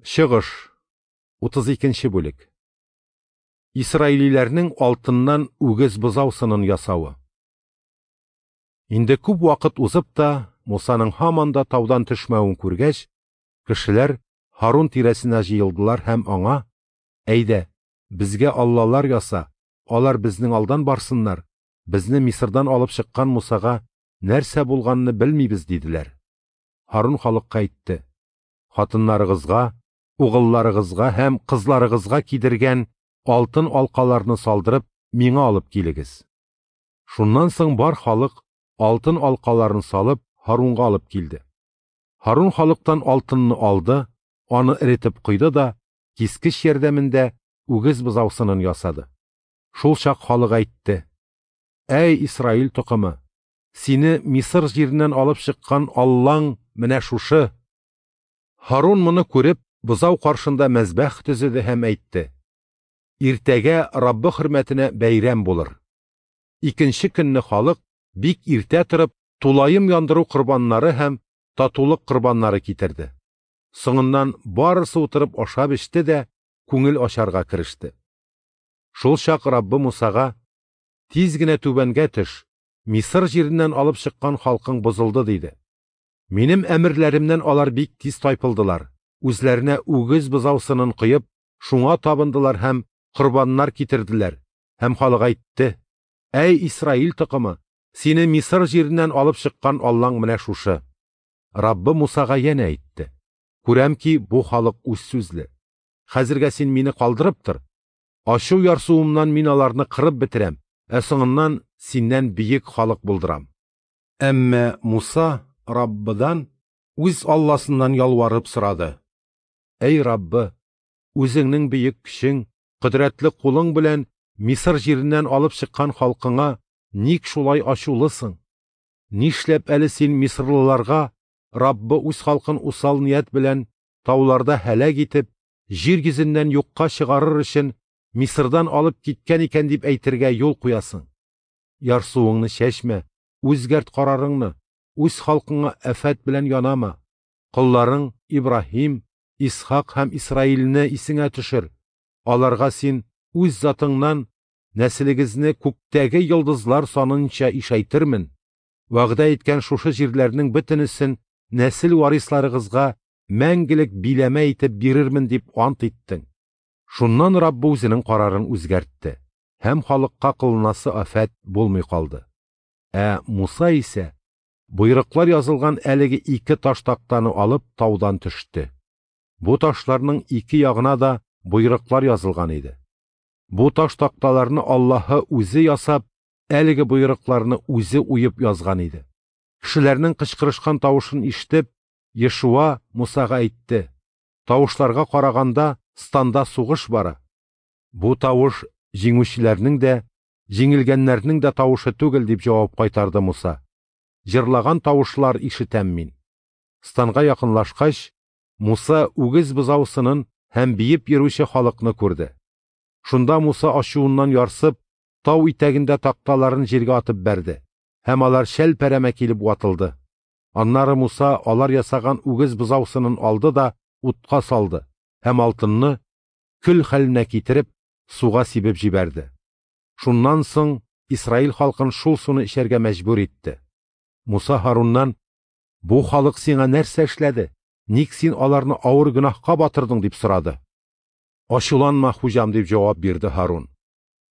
Чыгыш, 32 бүлек. Исраилиләрнең алтыннан үгез бозау сынын ясавы. Инде күп вакыт узып та, Мусаның һаман да таудан төшмәвен күргәч, кешеләр Һарун тирәсенә җыелдылар һәм аңа: "Әйдә, безгә аллалар яса, алар безнең алдан барсыннар, безне Мисырдан алып чыккан Мусага нәрсә булганны белмибез", диделәр. Һарун халыкка әйтте: "Хатыннарыгызга, угылларыгызга һәм кызларыгызга кидергән алтын алкаларны салдырып, миңа алып килегез". Шуннан соң бар халык алтын алкаларын салып, Һарунга алып килде. Һарун халыктан алтынны алды, аны эретеп койды да, кискеч ярдәмендә үгез бозау сынын ясады. Шул чак халык әйтте: "Әй Исраил токымы, сине Мисыр җиреннән алып чыккан Аллаң менә шушы!" Һарун моны күреп, бозау каршында мәзбәх төзеде һәм әйтте: "Иртәгә Раббы хөрмәтенә бәйрәм булыр". Икенче көнне халык бик иртә торып, тулаем яндыру корбаннары һәм татулык корбаннары китерде. Соңыннан барысы утырып ашап эчте дә күңел ачарга кереште. Шул чак Раббы Мусага: "Тиз генә түбәнгә төш, Мисыр җиреннән алып чыккан халкың бозылды", диде. Минем әмерләремнән алар бик тиз тайпылдылар. Үзләренә үгез бозау сынын коеп, шуңа табындылар һәм корбаннар китерделәр. Һәм халык әйтте: "Әй Исраил токымы, сине Мисыр җиреннән алып чыккан Аллаң менә шушы". Раббы Мусага янә әйтте: "Күрәм ки, бу халык үз сүзле. Хәзергә син мине калдырып тор. Ачу ярсуымнан мин аларны кырып бетерәм, ә соңыннан синнән бөек халык булдырам". Әмма Муса Раббыдан, үз Алласыннан ялварып сорады: "Әй Раббы, үзеңнең бөек көчең, кодрәтле кулың белән Мисыр җиреннән алып чыккан халкыңа ник шулай ачулысың? Нишләп әле син мисырлыларга Раббы үз халкын усал ният белән тауларда һәлак итеп, җир йөзеннән юкка чыгарыр өчен Мисырдан алып киткән икән дип әйтергә юл куясың? Ярсуыңны чәчмә, үзгәрт карарыңны, үз халкыңа афәт белән янама. Колларың Ибраһим, Исхак һәм Исраилне исеңә төшер. Аларга син үз затыңнан нәселегезне күктәге йолдызлар санынча ишәйтермен. Вәгъдә иткән шушы җирләрнең бөтенесен нәсел варисларыгызга мәңгелек биләмә итеп бирермен дип ант иттең". Шуннан Раббы үзенең карарын үзгәртте, һәм халыкка кылынасы афәт булмый калды. Ә Муса исә боерыклар язылган әлеге ике таш тактаны алып таудан төште. Бу ташларның ике ягына да боерыклар язылган иде. Бу таш такталарны Аллаһы үзе ясап, әлеге боерыкларны үзе уеп язган иде. Кешеләрнең кычкырышкан тавышын ишетеп, Ешуа Мусага әйтте: "Тавышларга караганда, станда сугыш бара". Бу тавыш җиңүчеләрнең дә, җиңелгәннәрнең дә тавышы түгел, дип җавап кайтарды Муса. Җырлаган тавышлар ишетәм мин. Станга якынлашкач, Муса үгез бозау сынын һәм биеп йөрүче халыкны күрде. Шунда Муса ачуыннан ярсып, тау итәгендә такталарын җиргә атып бәрде, һәм алар шәлпәрәмә килеп ватылды. Аннары Муса алар ясаган үгез бозау сынын алды да утка салды һәм алтынны көл хәленә китереп, суга сибеп җибәрде. Шуннан соң Исраил халкын шул суны эчәргә мәҗбүр итте. Муса Һаруннан: "Бу халык сиңа нәрсә эшләде? Ник син аларны авыр гөнаһка батырдың?" дип сорады. "Ачуланма, хуҗам", дип җавап бирде Һарун.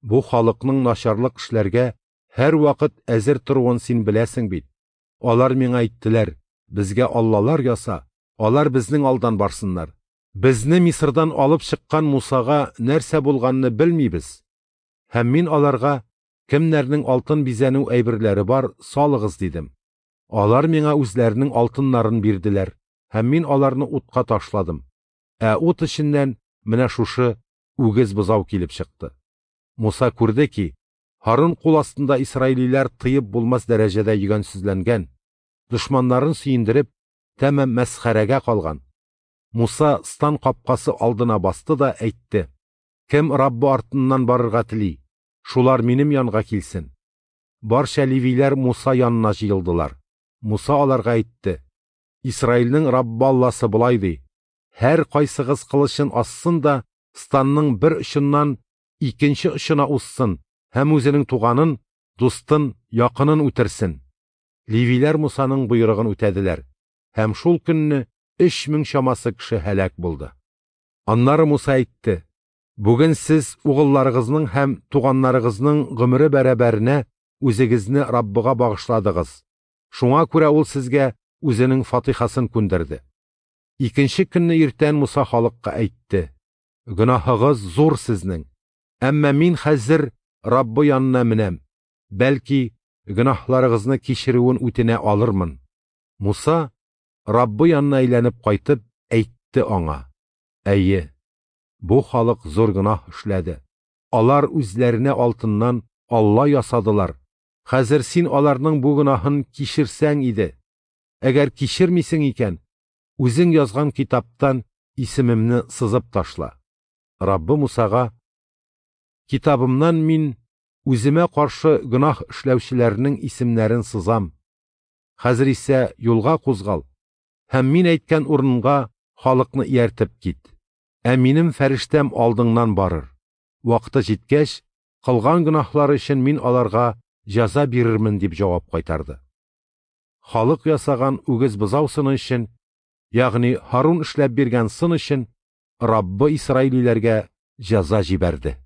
"Бу халыкның начарлык эшләргә һәр вакыт әзер торуын син беләсең бит. Алар миңа әйттеләр: безгә аллалар яса, алар безнең алдан барсыннар. Безне Мисырдан алып чыккан Мусага нәрсә булганны белмибез. Һәм мин аларга: кемнәрнең алтын бизәнү әйберләре бар, салыгыз, дидем. Алар миңа үзләренең алтыннарын бирделәр, һәм мин аларны утка ташладым. Ә ут эченнән менә шушы үгез бозау килеп чыкты". Муса күрде ки, Һарун кул астында исраилиләр тыеп булмас дәрәҗәдә йөгәнсезләнгән, дошманнарын сөендереп, тәмам мәсхәрәгә калган. Муса стан капкасы алдына басты да әйтте: "Кем Раббы артыннан барырга тели, шулар минем янга килсен". Барча левиләр Муса янына җыелдылар. Муса аларга әйтте: "Исраилнең Раббы Алласы болай ди: Һәркайсыгыз кылычын ассын да станның бер очыннан икенче очына узсын һәм үзенең туганын, дустын, якынын үтерсен. Левиләр Мусаның боерыгын үтәделәр, һәм шул көнне 3000 чамасы кеше һәлак булды. Аннары Муса әйтте: Бүген сез угылларыгызның һәм туганнарыгызның гомере бәрабәренә үзегезне Раббыга багышладыгыз. Шуңа күрә ул сезгә үзенең фатихасын күндерде. Икенче көнне иртән Муса халыкка әйтте: Гөнаһыгыз зур сезнең. Әмма мин хәзер Раббы янына менәм. Бәлки, гөнаһларыгызны кичерүен үтенә алырмын. Муса Раббы янына әйләнеп кайтып әйтте аңа: Әйе, бу халык зур гөнаһ эшләде. Алар үзләренә алтыннан Алла ясадылар. Хәзер син аларның бу гөнаһын кичерсәң иде. Әгәр кичермисең икән, үзең язган китаптан исемемне сызып ташла. Раббы Мусага: Китабымнан мин үземә каршы гөнаһ эшләүчеләрнең исемнәрен сызам. Хәзер исә юлга кузгал һәм мин әйткән урынга халыкны ияртеп кит. Ә минем фәрештәм алдыңнан барыр. Вакыты җиткәч, кылган гөнаһлары өчен мин аларга җәза бирермен, дип җавап кайтарды. Халык ясаган үгез бозау сыны өчен, ягъни Һарун эшләп биргән сын өчен, Раббы исраилиләргә җәза җибәрде.